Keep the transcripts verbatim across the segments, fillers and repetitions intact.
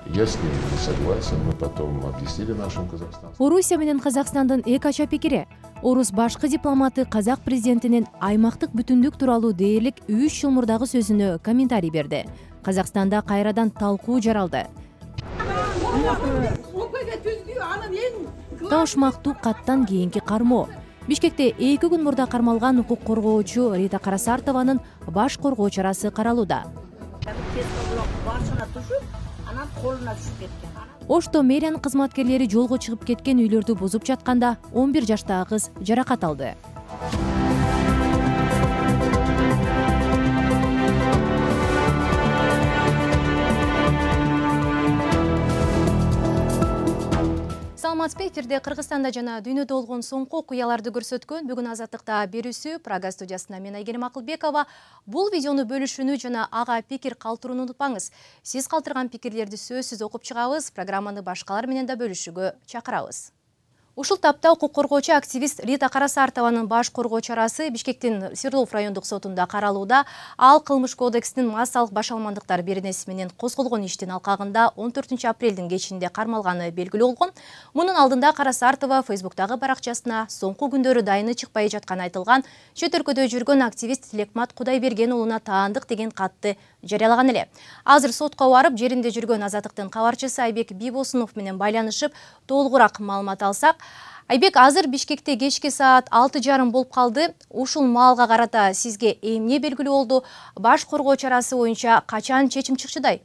Если не согласен, мы потом объяснили нашим казахстанцам. Орусия менен Казакстандын эки ача пикири. Орус башкы дипломаты казак президентинин аймактык бүтүндүк тууралуу дээрлик үч жыл мурдагы сөзүнө комментарий берди. Казакстанда кайрадан талкуу жаралды. Таушмактуу каттан кийинки кармоо. Бишкекте эки күн мурда кармалган укук коргоочу Рита Карасартованын баш коргоо чарасы каралууда. Ошто мэриянын кызматкерлери жолго чыгып кеткен үйлөрдү бузуп жатканда он бир жаштагы кыз жаракат алды. Саламатсызбы, эфирде Кыргызстанда жана дүйнөдө болгон соңку окуяларды көрсөткөн бүгүн Азаттыкта берүүсү Прага студиясына мен Айгерим Акылбекова. Бул видеону бөлүшүүнү жана ага пикир калтырууну унутпаңыз. Сиз калтырган пикирлерди сөзсүз окуп чыгабыз, программаны башкалар менен да бөлүшүүгө чакырабыз. Ушул тапта укук коргоочу активист Рита Карасартованын баш коргоо чарасы Бишкектин Свердлов райондук сотунда каралууда. Ал кылмыш кодексинин массалык башалмандыктар беренеси менен козголгон иштин алкагында он төртүнчү апрелдин кечинде кармалганы белгилүү болгон. Мунун алдында Карасартова Фейсбуктагы баракчасына соңку күндөрү дайыны чыкпай жатканы айтылган чет өлкөдө жүргөн активист Тилекмат Кудайберген уулуна таандык деген катты жарыялаган эле. Азыр сотко барып, жеринде жүргөн Азаттыктын кабарчысы Айбек Бибосунов менен байланышып, толугураак маалымат алсак. Айбек, азыр Бишкекте кечки саат алты жарым болуп калды. Ушул маалга карата сизге эмне белгилүү болду? Баш коргоо чарасы боюнча качан чечим чыкчыдай?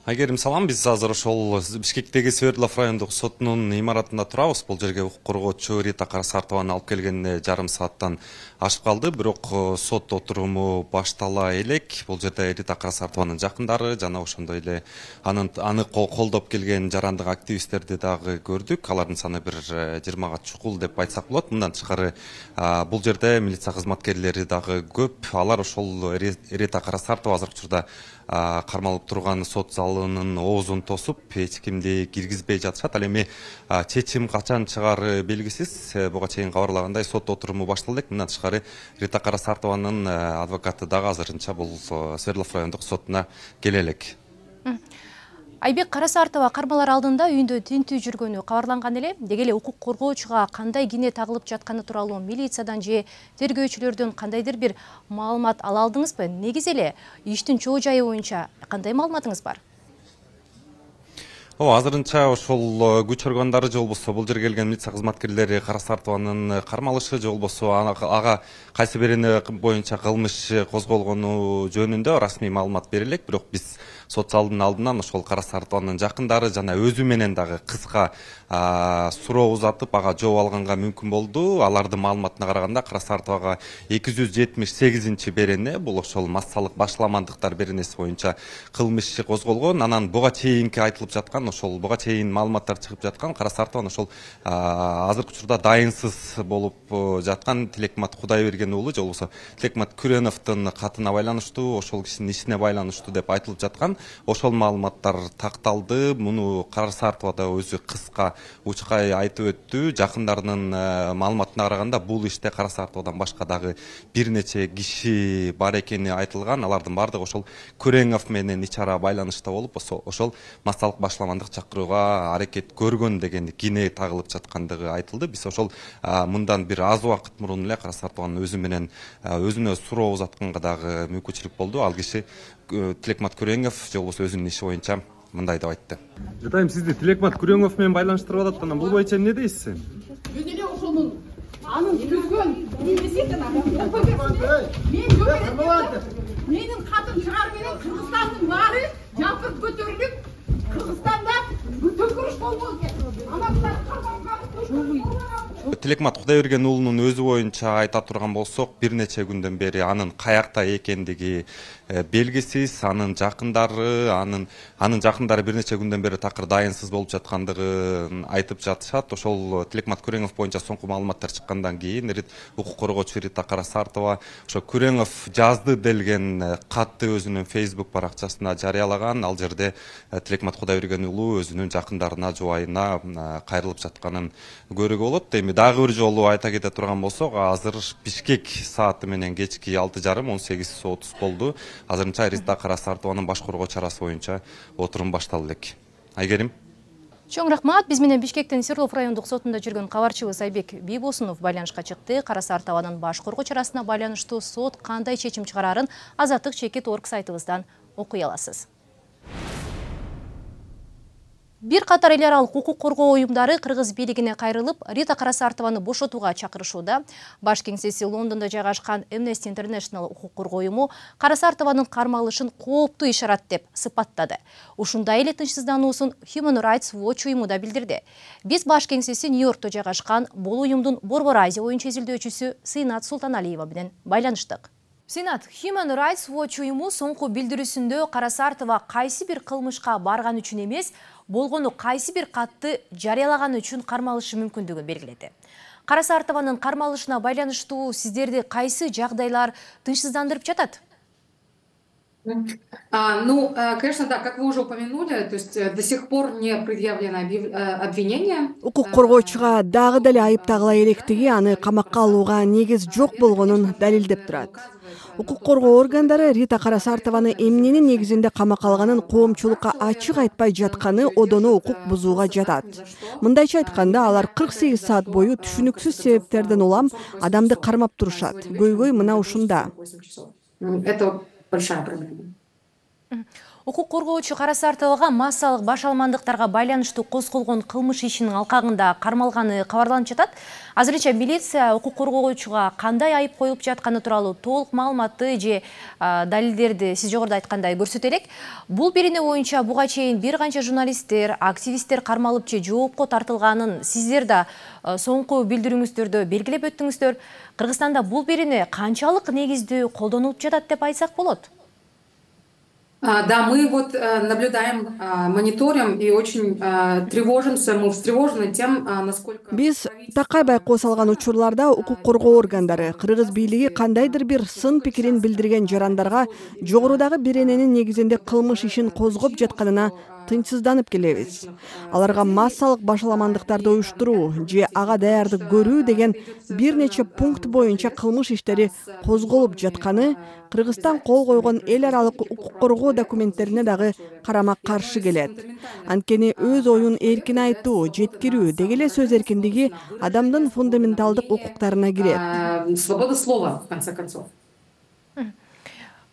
Айгерим, салам. Биз азыр ошол Бишкектеги Свердлов райондук сотунун имаратында турабыз. Бул жерге укук коргоочу Рита Карасартованы алып келгенине жарым сааттан ашып калды. Бирок сот отуруму баштала элек. Бул жерде Рита Карасартованын жакындары жана ошондой эле анын аны колдоп келген жарандык активисттерди дагы көрдүк. Алардын саны бир жыйырмага чукул деп айтсак болот. Мындан тышкары бул жерде милиция кызматкерлери дагы көп. Алар ошол Рита Карасартова азыркы учурда кармалып турган сот залынын оозун тосуп, эч кимди киргизбей жатышат. Ал эми чечим качан чыгары белгисиз. Буга чейин кабарлагандай сот отуруму башталды элек. Мындан тышкары Рита Карасартованын адвокаты дагы азырынча бул Свердлов райондук сотуна келе элек. Айбек, Карасартова кармалар алдында үйүндө тинтүү жүргөнү кабарланган эле. Деги эле укук коргоочуга кандай кине тагылып жатканы тууралуу милициядан же тергөөчүлөрдөн кандайдыр бир маалымат ала алдыңызбы? Негизи эле иштин чоо жайы боюнча кандай маалыматыңыз бар? О, азырынча ошол күч органдары же болбосо бул жерге келген милиция кызматкерлери Карасартованын кармалышы же болбосо ага кайсы бирини боюнча кылмыш козголгону жөнүндө расмий маалымат бере элек. Бирок биз сот залдын алдынан ошол Карасартованын жакындары жана өзү менен дагы кыска суроо узатып, ага жооп алганга мүмкүн болду. Алардын маалыматына караганда Карасартовага эки жүз жетимиш сегизинчи берене, бул ошол массалык башаламандыктар беренеси боюнча кылмыш козголгон. Анан буга чейинки айтылып жаткан ошол буга чейин маалыматтар чыгып жаткан Карасартован ошол азыркы учурда дайынсыз болуп жаткан Тилекмат Кудайберген уулу же болбосо Тилекмат Күреновдун катына байланыштуу, ошол кишинин ишине байланыштуу деп айтылып жаткан. Ошол маалыматтар такталды. Муну Карасартова да өзү кыска учкай айтып өттү. Жакындарынын маалыматына караганда бул иште Карасартовадан башка дагы бир нече киши бар экени айтылган. Алардын баардыгы ошол Күреңов менен ич ара байланышта болуп, ошол массалык башаламандык чакырууга аракет көргөн деген кине тагылып жаткандыгы айтылды. Биз ошол мындан бир аз убакыт мурун эле Карасартованын өзү менен өзүнө суроо узатканга дагы мүмкүнчүлүк болду. Ал киши Тилекмат Күреңов же болбосо өзүнүн иши боюнча мындай деп айтты. Жатайм, сизди Тилекмат Күреңов менен байланыштырып атат. Анан бул боюнча эмне дейсиз? Мен эле ошонун анын түзгөн эмесин мен жок. Менин катым чыгар менен Кыргызстандын баары жапырып көтөрүлүп, Кыргызстанда төкүрүш болбойт экен. Анан булар Тилекмат Кудайберген уулунун өзү боюнча айта турган болсок, бир нече күндөн бери анын каякта экендиги белгисиз. Анын жакындары, анын анын жакындары бир нече күндөн бери такыр дайынсыз болуп жаткандыгын айтып жатышат. Ошол Тилекмат Күреңов боюнча соңку маалыматтар чыккандан кийин укук коргоочу Рита Карасартова ошо Күреңов жазды делген катты өзүнүн Facebook баракчасына жарыялаган. Ал жерде Тилекмат Кудайберген уулу өзүнүн жакындарына, жубайына кайрылып жатканын көрүүгө болот. Эми дагы бир жолу айта кете турган болсок, азыр Бишкек сааты менен кечки алты жарым он сегиз отуз болду. Азырынча Рита Карасартованын баш коргоо чарасы боюнча отурум башталды элек. Айгерим. Чоң рахмат. Биз менен Бишкектин Свердлов райондук сотунда жүргөн кабарчыбыз Айбек Бийбосунов байланышка чыкты. Карасартованын баш коргоо чарасына байланыштуу сот кандай чечим чыгарарын Азаттык чекит орг сайтыбыздан окуй аласыз. Бир катар эл аралык укук коргоо уюмдары кыргыз бийлигине кайрылып, Рита Карасартованы бошотууга чакырышууда. Баш кеңсеси Лондондо жайгашкан Amnesty International укук коргоо уюму Карасартованын кармалышын кооптуу ишарат деп сыпаттады. Ушундай эле тынчсыздануусун Human Rights Watch уюму да билдирди. Биз баш кеңсеси Нью-Йоркто жайгашкан бул уюмдун Борбор Азия боюнча изилдөөчүсү Сыйнат Султаналиева менен байланыштык. Сенат Human Rights Watch уюму соңку билдирүүсүндө Карасартова кайсы бир кылмышка барган үчүн эмес, болгону кайсы бир катты жарыялаган үчүн кармалышы мүмкүндүгүн белгиледи. Карасартованын кармалышына байланыштуу сиздерди кайсы жагдайлар тынчсыздандырып жатат? А, ну, конечно, да, как вы уже упомянули, то есть до сих пор не предъявлено обвинение. Укук коргоочуга дагы деле айып тагыла электиги аны камакка алууга негиз жок болгонун далилдеп турат. Укук коргоо органдары Рита Карасартованы эмненин негизинде камакка алганын коомчулукка ачык айтпай жатканы одоно укук бузууга жатат. Мындайча айтканда, алар кырк сегиз саат бою түшүнүксүз себептерден улам адамды кармап турушат. Көйгөй мына ушунда. Это большая проблема. Укук коргоочу Карасартовага массалык баш алмандыктарга байланыштуу козголгон кылмыш ишинин алкагында кармалганы кабарланып жатат. Азырынча милиция укук коргоочуга кандай айып коюлуп жатканы тууралуу толук маалыматты же далилдерди сиз жогоруда айткандай көрсөтө элек. Бул берене боюнча буга чейин бир канча журналисттер, активисттер кармалып же жоопко тартылганын сиздер да соңку билдирүүңүздөрдө белгилеп өттүңүздөр. Кыргызстанда бул берене канчалык негиздүү колдонулуп жатат деп айтсак болот? Да, мы вот наблюдаем, мониторим и очень тревожимся, мы встревожены тем, насколько... Биз такай байкоо салган учурларда укук коргоо органдары кыргыз бийлиги кандайдыр бир сын пикирин билдирген жарандарга жогорудагы берененин негизинде кылмыш ишин козгоп жатканына тынчсызданып келебиз. Аларга массалык башаламандыктарды уюштуруу же ага даярдык көрүү деген бир нече пункт боюнча кылмыш иштери козголуп жатканы Кыргызстан кол койгон эл аралык укук коргоо документтерине дагы карама каршы келет. Анткени өз оюн эркин айтуу, жеткирүү деги эле сөз эркиндиги адамдын фундаменталдык укуктарына кирет. Свобода слова, в конце концов.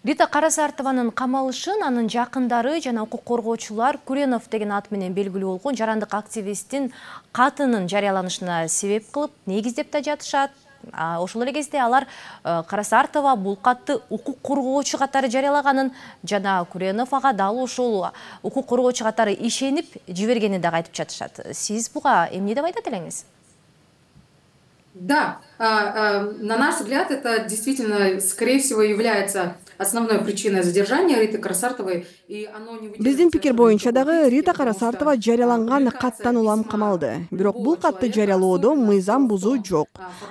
Рита Карасартованын камалышын анын жакындары жана укук коргоочулар Куренов деген ат менен белгилүү болгон жарандык активисттин катынын жарыяланышына себеп кылып негиздеп да жатышат. Ошол эле кезде алар Карасартова бул катты укук коргоочу катары жарыялаганын жана Куренов ага дал ошол укук коргоочу катары ишенип жибергенин дагы айтып жатышат. Сиз буга эмне деп айтат элеңиз? Да, на наш взгляд, это действительно, скорее всего, является основной причиной задержания Риты Карасартовой. Биздин пикир боюнча дагы Рита Карасартова жарыяланган каттан улам камалды. Бирок бул катты жарыялоодо мыйзам бузуу жок.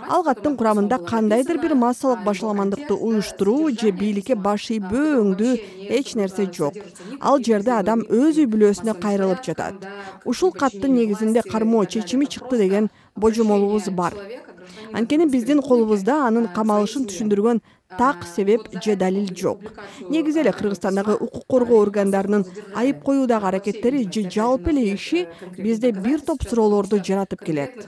Ал каттын курамында кандайдыр бир массалык башаламандыкты уюштуруу же бийликке баш ийбөө өңдүү эч нерсе жок. Ал жерде адам өз үй бүлөсүнө кайрылып жатат. Ушул каттын негизинде кармоо чечими чыкты деген божомолубуз бар. Анткени биздин колубузда анын камалышын түшүндүргөн так себеп же далил жок. Негизи эле Кыргызстандагы укук коргоо органдарынын айып коюудагы аракеттери же жалпы эле иши бизде бир топ суроолорду жаратып келет.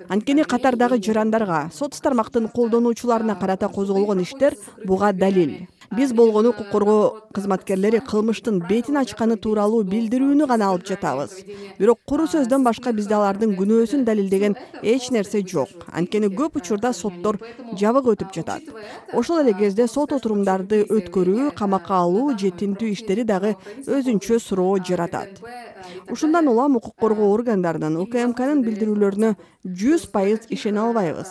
Анткени катардагы жарандарга, сот тармактын колдонуучуларына карата козголгон иштер буга далил. Биз болгону укук коргоо кызматкерлери кылмыштын бетин ачканы тууралуу билдирүүнү гана алып жатабыз. Бирок куру сөздөн башка бизде алардын күнөөсүн далилдеген эч нерсе жок. Анткени көп учурда соттор жабык өтүп жатат. Ошол эле кезде сот отурумдарды өткөрүү, камакка алуу же тинтүү иштери дагы өзүнчө суроо жаратат. Ушундан улам укук коргоо органдарынын УКМКнын билдирүүлөрүнө жүз пайыз ишене албайбыз.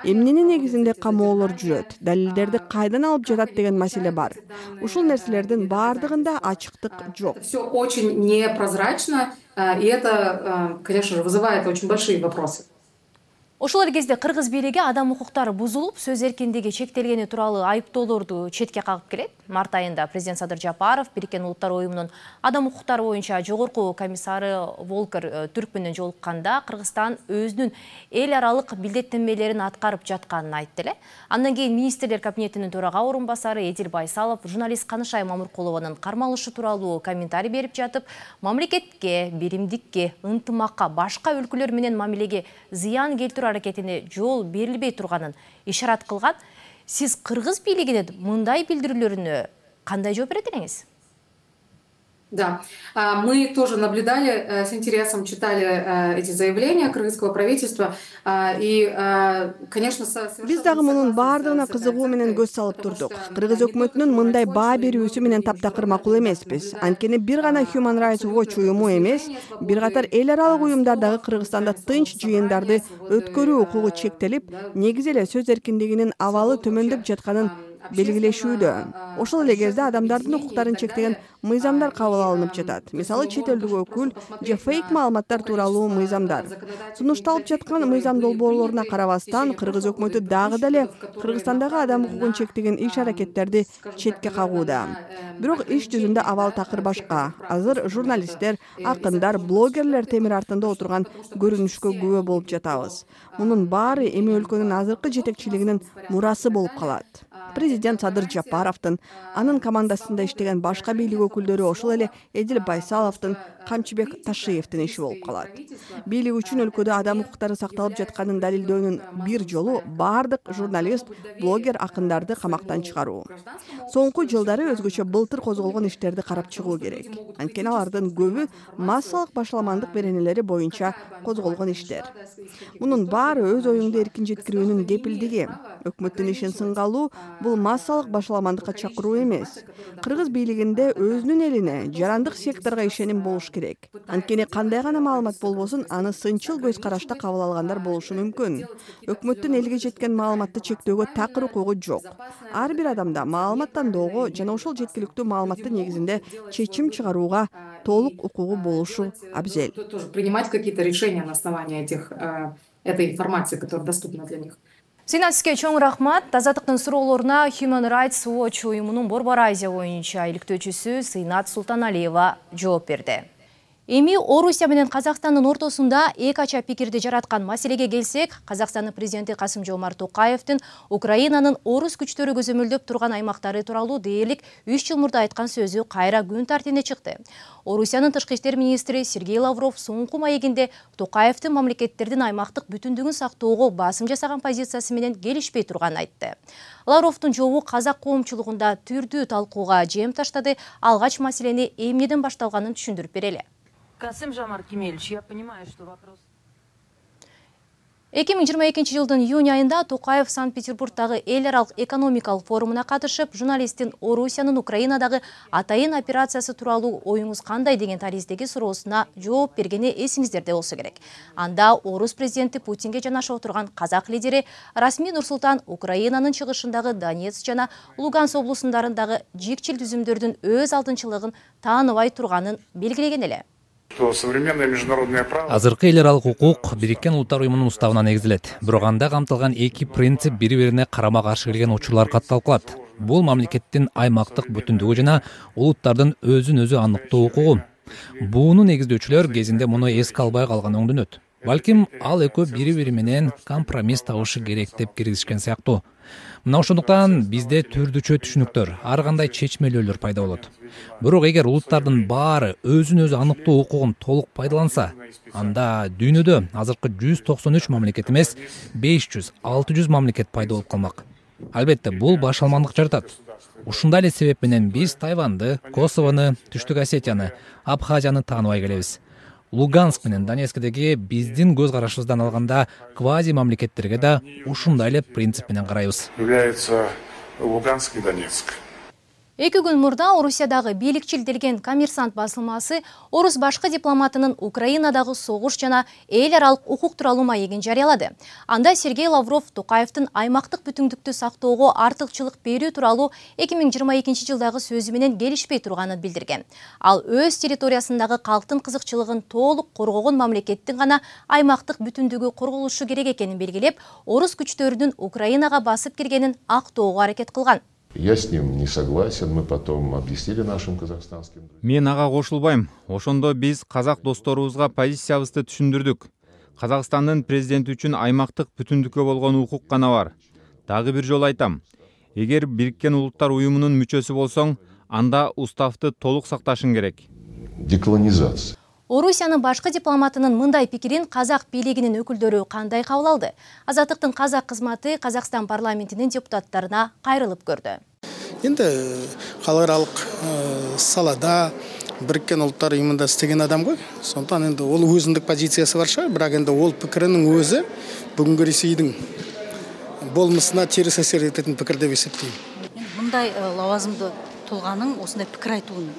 Эмненин негизинде камоолор жүрөт, далилдерди кайдан алып жатат деген маселе бар. Ушул нерселердин баардыгында ачыктык жок. Все очень непрозрачно, и это, конечно же, вызывает очень большие вопросы. Ошол эле кезде кыргыз бийлиги адам укуктары бузулуп, сөз эркиндиги чектелгени тууралуу айыптоолорду четке кагып келет. Март айында президент Садыр Жапаров Бириккен Улуттар Уюмунун адам укуктары боюнча жогорку комиссары Волкер Түрк менен жолукканда Кыргызстан өзүнүн эл аралык билдеттенмелерин аткарып жатканын айтты эле. Андан кийин министрлер кабинетинин төрага орун басары Эдил Байсалов журналист Канышай Мамыркулованын кармалышы тууралуу комментарий берип жатып, мамлекетке, биримдикке, ынтымакка, башка өлкөлөр менен мамилеге зыян келтирүү аракетине жол берилбей турганын ишарат кылган. Сиз кыргыз бийлигинин мындай билдирүүлөрүнө кандай жооп берет элеңиз? Да, мы тоже наблюдали, с интересом читали эти заявления кыргызского правительства. И, конечно, биз дагы мунун баардыгына кызыгуу менен көз салып турдук. Кыргыз өкмөтүнүн мындай баа берүүсү менен таптакыр макул эмеспиз. Анткени бир гана Human Rights Watch уюму эмес, бир катар эл аралык уюмдар дагы Кыргызстанда тынч жыйындарды өткөрүү укугу чектелип, негизи эле сөз эркиндигинин абалы төмөндөп жатканын белгилешүүдө. Ошол эле кезде адамдардын укуктарын чектеген мыйзамдар кабыл алынып жатат. Мисалы, чет элдик өкүл же фейк маалыматтар тууралуу мыйзамдар. Сунушталып жаткан мыйзам долбоорлоруна карабастан, кыргыз өкмөтү дагы деле Кыргызстандагы адам укугун чектеген иш-аракеттерди четке кагууда. Бирок иш жүзүндө абал такыр башка. Азыр журналисттер, акындар, блогерлер темир артында отурган көрүнүшкө күбө болуп жатабыз. Мунун баары эми өлкөнүн азыркы жетекчилигинин мурасы болуп калат. Президент Садыр Жапаровдун, анын командасында иштеген башка бийлик өкүлдөрү, ошол эле Эдил Байсаловдун, Камчыбек Ташиевдин иши болуп калат. Бийлик үчүн өлкөдө адам укуктары сакталып жатканын далилдөөнүн бир жолу баардык журналист, блогер, акындарды камактан чыгаруу. Соңку жылдары өзгөчө былтыр козголгон иштерди карап чыгуу керек. Анткени алардын көбү массалык башаламандык беренелери боюнча козголгон иштер. Мунун баары өз оюңду эркин жеткирүүнүн кепилдиги. Өкмөттүн ишин сынга алуу бул массалык башаламандыкка чакыруу эмес. Кыргыз бийлигинде өзүнүн элине, жарандык секторго ишеним болуш керек. Анткени кандай гана маалымат болбосун, аны сынчыл көз карашта кабыл алгандар болушу мүмкүн. Өкмөттүн элге жеткен маалыматты чектөөгө такыр укугу жок. Ар бир адамда маалымат тандоого жана ошол жеткиликтүү маалыматтын негизинде чечим чыгарууга толук укугу болушу абзел. Принимать какие-то решения на основании этих, этой информации, которая доступна для них. Синат сизге чоң рахмат. Азаттыктын суроолоруна Human Rights Watch уюмунун Борбор Азия боюнча иликтөөчүсү Сыйнат Султаналиева жооп берди. Эми Орусия менен Казакстандын ортосунда эки ача пикирди жараткан маселеге келсек, Казакстандын президенти Касым-Жомарт Токаевдин Украинанын орус күчтөрү көзөмөлдөп турган аймактары тууралуу дээрлик үч жыл мурда айткан сөзү кайра күн тартибине чыкты. Орусиянын тышкы иштер министри Сергей Лавров соңку маегинде Токаевдин мамлекеттердин аймактык бүтүндүгүн сактоого басым жасаган позициясы менен келишпей турганын айтты. Лавровдун жообу казак коомчулугунда түрдүү талкууга жем таштады. Алгач маселени эмнеден башталганын түшүндүрүп берели. Касым-Жомарт Кемелевич, я понимаю, что вопрос... эки миң жыйырма экинчи жылдын июнь айында Токаев Санкт-Петербургдагы эл аралык экономикалык форумуна катышып, журналисттин Орусиянын Украинадагы атайын операциясы тууралуу оюңуз кандай деген тариздеги суроосуна жооп бергени эсиңиздерде болсо керек. Анда орус президенти Путинге жанашып отурган казак лидери Расмий Нурсултан Украинанын чыгышындагы Донецк жана Луганск облусундардагы жикчил түзүмдөрдүн өз алдынчылыгын тааныбай турганын белгилеген эле. Азыркы эл аралык укук Бириккен Улуттар Уюмунун уставына негизделет. Бирок анда камтылган эки принцип бири-бирине карама-каршы келген учурлар катталып калат. Бул мамлекеттин аймактык бүтүндүгү жана улуттардын өзүн өзү аныктоо укугу. Буну негиздөөчүлөр кезинде муну эске албай калган оңдөнөт. Балким ал экөө бири-бири менен компромисс табышы керек деп киргизишкен сыяктуу. Мына ошондуктан бизде түрдүчө түшүнүктөр, ар кандай чечмелөөлөр пайда болот. Бирок эгер улуттардын баары өзүн өзү аныктоо укугун толук пайдаланса, анда дүйнөдө азыркы жүз токсон үч мамлекет эмес, беш жүз алты жүз мамлекет пайда болуп калмак. Албетте, бул башалмандык жаратат. Ушундай эле себеп менен биз Тайванды, Косовону, Түштүк Осетияны, Абхазияны тааныбай келебиз. Луганск менен Донецкдеги биздин көз карашыбыздан алганда квази мамлекеттерге да ушундай эле принцип менен карайбыз. Является Луганск и Донецк. Эки күн мурда Орусиядагы бийликчил делген Коммерсант басылмасы орус башкы дипломатынын Украинадагы согуш жана эл аралык укук тууралуу маегин жарыялады. Анда Сергей Лавров Токаевдин аймактык бүтүндүктү сактоого артыкчылык берүү тууралуу эки миң жыйырма экинчи жылдагы сөзү менен келишпей турганын билдирген. Ал өз территориясындагы калктын кызыкчылыгын толук коргогон мамлекеттин гана аймактык бүтүндүгү корголушу керек экенин белгилеп, орус күчтөрүнүн Украинага басып киргенин актоого аракет кылган. Я с ним не согласен, мы потом объяснили нашим казахстанским друзьям. Мен ага кошулбайм. Ошондо биз казак досторубузга позициябызды түшүндүрдүк. Казакстандын президенти үчүн аймактык бүтүндүккө болгон укук гана бар. Дагы бир жолу айтам. Эгер Бириккен Улуттар уюмунун мүчөсү болсоң, анда уставды толук сакташың керек. Деклонизация. Орусиянын башкы дипломатынын мындай пикирин казак бийлигинин өкүлдөрү кандай кабыл алды? Азаттыктын казак кызматы Казакстан парламентинин депутаттарына кайрылып көрдү. Енді халықаралық салада Біріккен Ұлттар ұйымында істеген адам ғой. Сондықтан енді ол өзіндік позициясы бар шығар, бірақ енді ол пікірінің өзі бүгінгі Ресейдің болмысына теріс әсер ететін пікір деп есептеймін. Мұндай лауазымды тұлғаның осындай пікір айтуын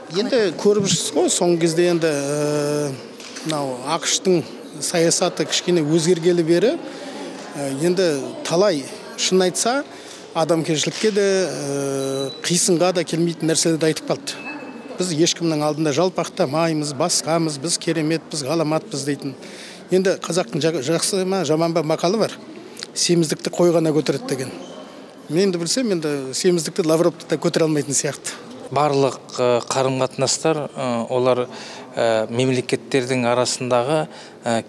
енді көріп жүрсіз ғой, соңғы кезде енді мынау ақш-тың саясаты кішкене өзгергелі бері енді талай шын айтса адамгершілікке де қисынға да келмейтін нәрселерді айтып қалды. Біз ешкімнің алдында жалпақтамаймыз, басқамыз, біз керемет, біз ғаламатпыз дейтін. Енді қазақтың жақсы ма, жаман ба мақалы бар. Семіздікті қойғана көтереді деген. Мен де білсем, енді семіздікті Лавровты да көтере алмайтын сияқты. Барлық қарым-қатынастар олар мемлекеттердің арасындағы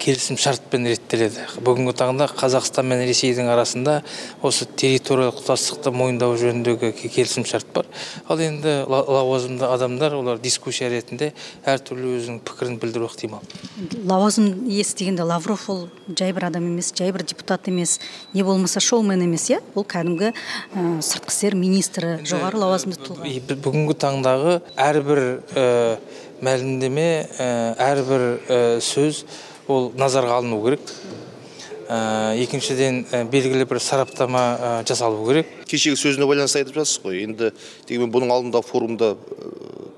келісім шартпен реттеледі. Бүгінгі таңда Қазақстан мен Ресейдің арасында осы территориялық тұтастықты мойындау жөніндегі келісім шарт бар. Ал енді лауазымды адамдар олар дискуссия ретінде әртүрлі өзінің пікірін білдіру ықтимал. Лауазым иесі дегенде Лавров ол жай бір адам емес, жай бір депутат емес, не болмаса шоумен емес, я? Ол кәдімгі сыртқы істер министрі, жоғары лауазымды тұлға. Бүгінгі таңдағы әрбір мәлімдеме, әрбір сөз ол назарға алыну керек. Екіншіден белгілі бір сараптама жасалу керек. Кешегі сөзіне байланысты айтып жатсыз ғой. Енді дегенмен бұның алдында форумда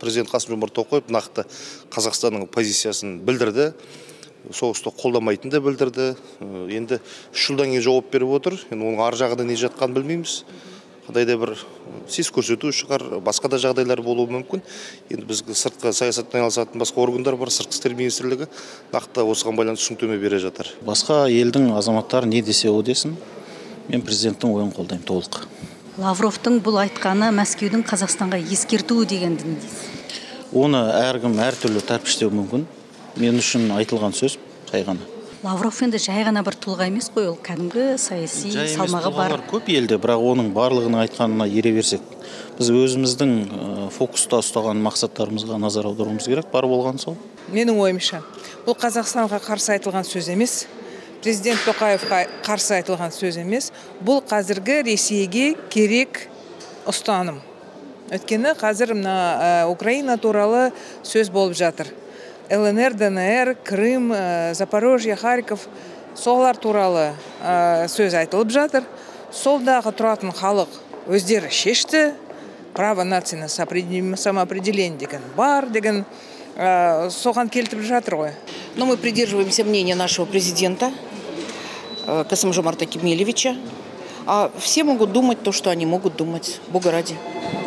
президент Қасым-Жомарт Тоқаев нақты Қазақстанның позициясын білдірді. Соғысты қолдамайтынды білдірді. Енді үш жылдан кейін жауап беріп отыр. Енді оның ар жағында не жатқанын білмейміз. Қандай да бір сес көрсету шығар, басқа да жағдайлар болуы мүмкін. Енді бізге сыртқы саясатпен айналысатын басқа органдар бар, сыртқы істер министрлігі нақты осыған байланысты түсініктеме бере жатыр. Басқа елдің азаматтары не десе о десін, мен президенттің ойын қолдаймын толық. Лавровтың бұл айтқаны Мәскеудің Қазақстанға ескертуі дегенді не дейсіз? Оны әркім әртүрлі тәрпіштеу мүмкін. Мен үшін айтылған сөз жай ғана. Лавров енді жай ғана бір тұлға емес қой, ол кәдімгі саяси салмағы бар. Көп елде, бірақ оның барлығының айтқанына ере берсек, біз өзіміздің фокуста ұстаған мақсаттарымызға назар аударуымыз керек, бар болған сол. Менің ойымша, бұл Қазақстанға қарсы айтылған сөз емес, президент Тоқаевқа қарсы айтылған сөз емес, бұл қазіргі Ресейге керек ұстаным. Өткені қазір мына Украина туралы сөз болып жатыр. Л Н Р, Д Н Р, Крым, Запорожье, Харьков солар туралы сөз айтылып жатыр. Солдағы тұратын халық өздері шешті, право нации на самоопределение деген бар деген соған келтіріп жатыр ғой. Но мы придерживаемся мнения нашего президента Касым-Жомарта Кемелевича. А все могут думать то, что они могут думать. Бога ради.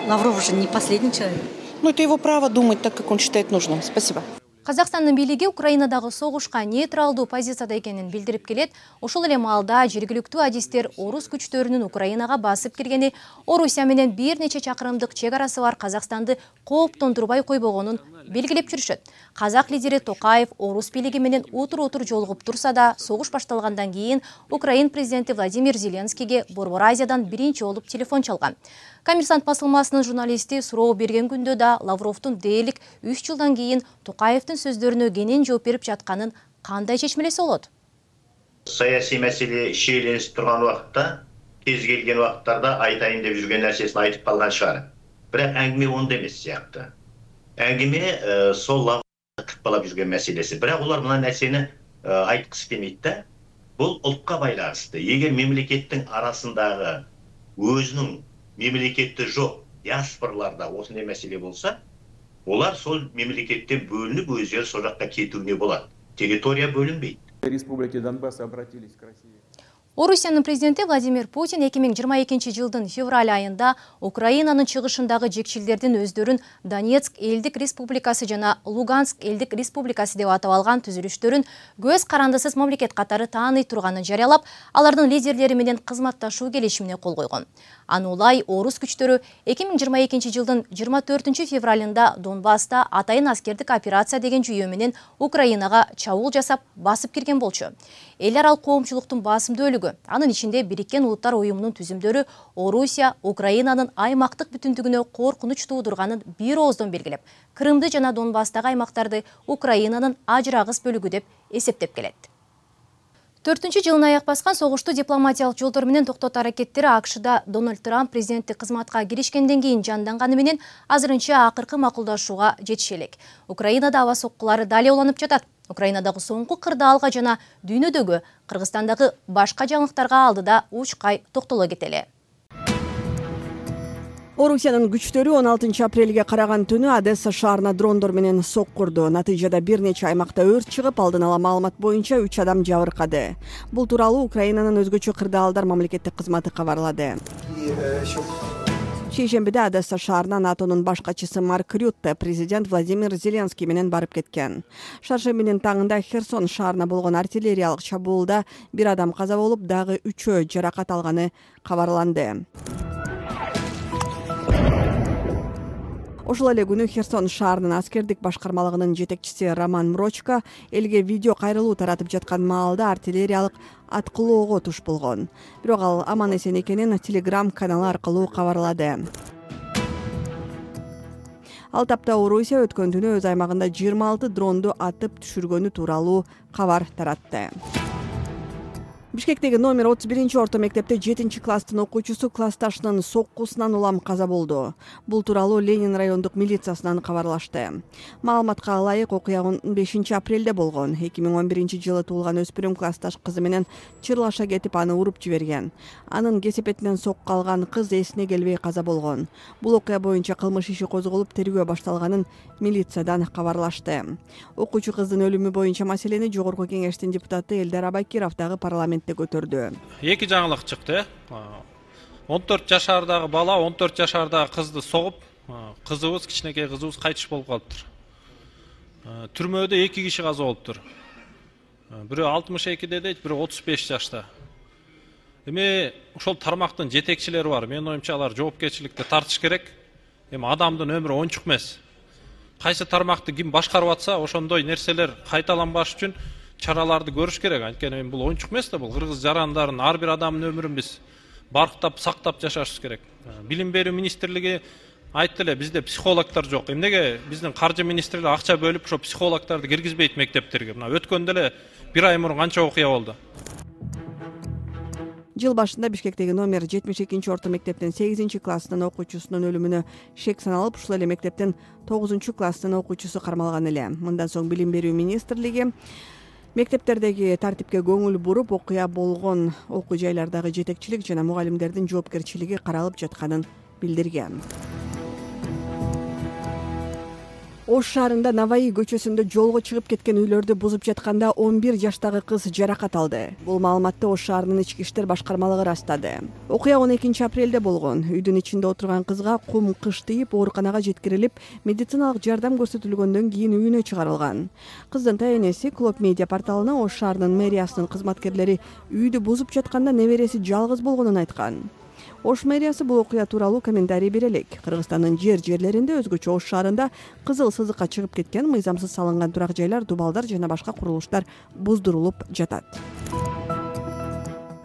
Лавров же не последний человек. Ну, это его право думать так, как он считает нужным. Спасибо. Казакстандын бийлиги Украинадагы согушка нейтралдуу позицияда экенин билдирип келет. Ошол эле маалда жергиликтүү адистер орус күчтөрүнүн Украинага басып киргени, Орусия менен бир нече чакырымдык чек арасы бар Казакстанды кооптондурбай койбогонун белгилеп жүрүшөт. Казак лидери Токаев орус бийлиги менен утур-утур жолугуп турса да, согуш башталгандан кийин Украин президенти Владимир Зеленскийге Борбор Азиядан биринчи болуп телефон чалган. Коммерсант басылмасынын журналисти суроо берген күндө да Лавровдун дээрлик үч жылдан кийин Токаевдин сөздөрүнө кенен жооп берип жатканын кандай чечмелесе болот? Саясий маселе шиеленип турган убакытта, кез келген убакыттарда айтайын деп жүрген нерсесин айтып калган шаар. Бирок әңгиме онда эмес сыяктуу. Әңгиме сол Лавровдун тыкпалап жүрген маселеси. Бирок улар мына нерсени айткысы келмейт да. Бул ултка байланыштуу. Эгер мемлекеттин арасындагы өзүнүн мемлекетте жоқ диаспораларда осындай маселе болса, олар сол мемлекеттен бөлініп өздері сол жаққа кетуіне болады. Территория бөлінбейді. Республики Донбасс обратились к России. Орусиянын президенти Владимир Путин эки миң жыйырма экинчи жылдын февраль айында Украинанын чыгышындагы жекчилдердин өздөрүн Донецк элдик республикасы жана Луганск элдик республикасы деп атап алган түзүлүштөрүн көз карандысыз мамлекет катары тааный турганын жарыялап, алардын лидерлери менен кызматташуу келишимине кол койгон. Анулай орус күчтөрү эки миң жыйырма экинчи жылдын жыйырма төртүнчү февралында Донбасста атайын аскердик операция деген жүйө менен Украинага чабуул жасап, басып кирген болчу. Эл аралык коомчулуктун басымдуу бөлүгү, анын ичинде Бириккен Улуттар уюмунун түзүмдөрү Орусия Украинанын аймактык бүтүндүгүнө коркунуч туудурганын бир ооздон белгилеп, Крымды жана Донбасстагы аймактарды Украинанын ажырагыс бөлүгү деп эсептеп келет. төртүнчү жылына аяк баскан согушту дипломатиялык жолдор менен токтотуу аракеттери АКШда Дональд Трамп президенттик кызматка киришкенден кийин жанданганы менен азырынча акыркы макулдашууга жетише элек. Украинада аба соккулары дали уланып жатат. Украинадагы соңку кырдаалга жана дүйнөдөгү Кыргызстандагы башка жаңылыктарга алдыда учкай токтоло кетели. Орусиянын күчтөрү он алтынчы апрелге караган түнү Одесса шаарына дрондор менен соккурду. Натыйжада бир нече аймакта өрт чыгып, алдын ала маалымат боюнча үч адам жабыркады. Бул тууралуу Украинанын өзгөчө кырдаалдар мамлекеттик кызматы кабарлады. Шейшембиде Одесса шаарына НАТОнун баш катчысы Марк Рютте президент Владимир Зеленский менен барып кеткен. Шаршембинин таңында Херсон шаарына болгон артиллериялык чабуулда бир адам каза болуп, дагы үчөө жаракат алганы кабарланды. Ошол эле күнү Херсон шаарынын аскердик башкармалыгынын жетекчиси Роман Мрочко элге видео кайрылуу таратып жаткан маалда артиллериялык аткылоого туш болгон. Бирок ал аман эсен экенин Telegram каналы аркылуу кабарлады. Ал тапта Орусия өткөн түнү өз аймагында жыйырма алты дронду атып түшүргөнү тууралуу кабар таратты. Бишкектеги номер отуз биринчи орто мектепте жетинчи класстын окуучусу классташынын соккусунан улам каза болду. Бул тууралуу Ленин райондук милициясынан кабарлашты. Маалыматка ылайык, окуя он бешинчи апрелде болгон. эки миң он биринчи жылы туулган өспүрүм классташ кызы менен чырлаша кетип, аны уруп жиберген. Анын кесепетинен сокку алган кыз эсине келбей каза болгон. Бул окуя боюнча кылмыш иши козголуп, тергөө башталганын милициядан кабарлашты. Окуучу кыздын өлүмү боюнча маселени Жогорку кеңештин депутаты Элдар Абакиров дагы парламент көтөрдү. Эки жаңылык чыкты. он төрт жашардагы бала он төрт жашардагы кызды согуп, кызыбыз, кичинекей кызыбыз кайтыш болуп калыптыр. Түрмөдө эки киши каза болуптур. Бирөө алтымыш экиде дейт, бирөө отуз беш жашта. Эми ошол тармактын жетекчилери бар. Менин оюмча алар жоопкерчиликти тартыш керек. Эми адамдын өмүрү оңчук эмес. Кайсы тармакты ким башкарып атса, ошондой нерселер кайталанбаш үчүн чараларды көрүш керек. Анткени бул оңчук эмес да, бул кыргыз жарандарын, ар бир адамдын өмүрүн биз барктап, сактап жашашыбыз керек. Билим берүү министрлиги айтты эле, бизде психологдор жок. Эмнеге биздин каржы министрлиги акча бөлүп, ошо психологдорду киргизбейт мектептерге? Мына өткөндө эле бир ай мурун канча окуя болду. Жыл башында Бишкектеги номер жетимиш экинчи орто мектептин сегизинчи класстын окуучусунун өлүмүнө шек саналып, ушул эле мектептин тогузунчу класстын окуучусу кармалган эле. Мындан соң Билим берүү министрлиги мектептердеги тартипке көңүл буруп, окуя болгон окуу жайлардагы жетекчилик жана мугалимдердин жоопкерчилиги каралып жатканын билдирген. Ош шаарында Наваи көчөсүндө жолго чыгып кеткен үйлөрдү бузуп жатканда он бир жаштагы кыз жаракат алды. Бул маалыматты Ош шаарынын ички иштер башкармалыгы растады. Окуя он экинчи апрелде болгон. Үйдүн ичинде отурган кызга кум кыш тийип, ооруканага жеткирилип, медициналык жардам көрсөтүлгөндөн кийин үйүнө чыгарылган. Кыздын тайенеси Клоп медиа порталына Ош шаарынын мэриясынын кызматкерлери үйдү бузуп жатканда небереси жалгыз болгонун айткан. Ош мэриясы бул окуя тууралуу комментарий бере элек. Кыргызстандын жер жерлеринде, өзгөчө Ош шаарында кызыл сызыкка чыгып кеткен, мыйзамсыз салынган турак жайлар, дубалдар жана башка курулуштар буздурулуп жатат.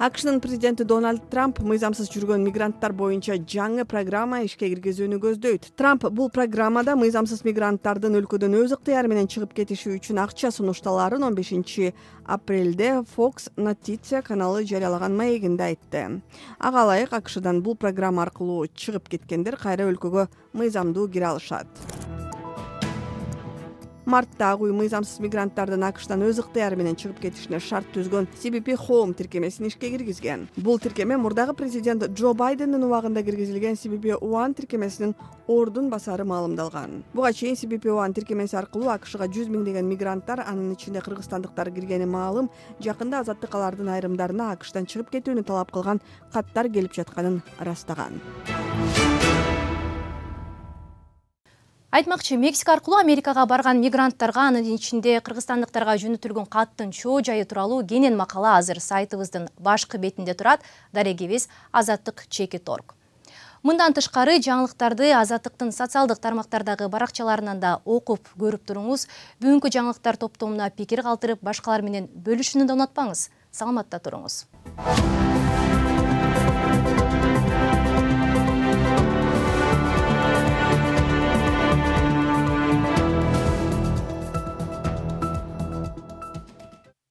АКШнын президенти Дональд Трамп мыйзамсыз жүргөн мигранттар боюнча жаңы программа ишке киргизүүнү көздөйт. Трамп бул программада мыйзамсыз мигранттардын өлкөдөн өз ыктыяры менен чыгып кетиши үчүн акча сунушталаарын он бешинчи апрелде Fox Noticia каналы жарыялаган маегинде айтты. Ага ылайык АКШдан бул программа аркылуу чыгып кеткендер кайра өлкөгө мыйзамдуу кире алышат. Мартта ак үй мыйзамсыз мигранттардын АКШтан өз ыктыяры менен чыгып кетишине шарт түзгөн си би пи Home тиркемесин ишке киргизген. Бул тиркеме мурдагы президент Джо Байдендин убагында киргизилген си би пи One тиркемесинин ордун басары маалымдалган. Буга чейин си би пи One тиркемеси аркылуу АКШга жүз миңдеген мигранттар, анын ичинде кыргызстандыктар киргени маалым, жакында азаттык алардын айрымдарына АКШтан чыгып кетүүнү талап кылган каттар келип жатканын ырастаган. Айтмакчы, Мексика аркылуу Америкага барган мигранттарга, анын ичинде кыргызстандыктарга жөнөтүлгөн каттын чоо жайы тууралуу кенен макала азыр сайтыбыздын башкы бетинде турат. Дарегибиз Азаттык чекит точка орг. Мындан тышкары жаңылыктарды Азаттыктын социалдык тармактардагы баракчаларынан да окуп көрүп туруңуз. Бүгүнкү жаңылыктар топтомуна пикир калтырып, башкалар менен бөлүшүүнү да унутпаңыз. Саламатта туруңуз.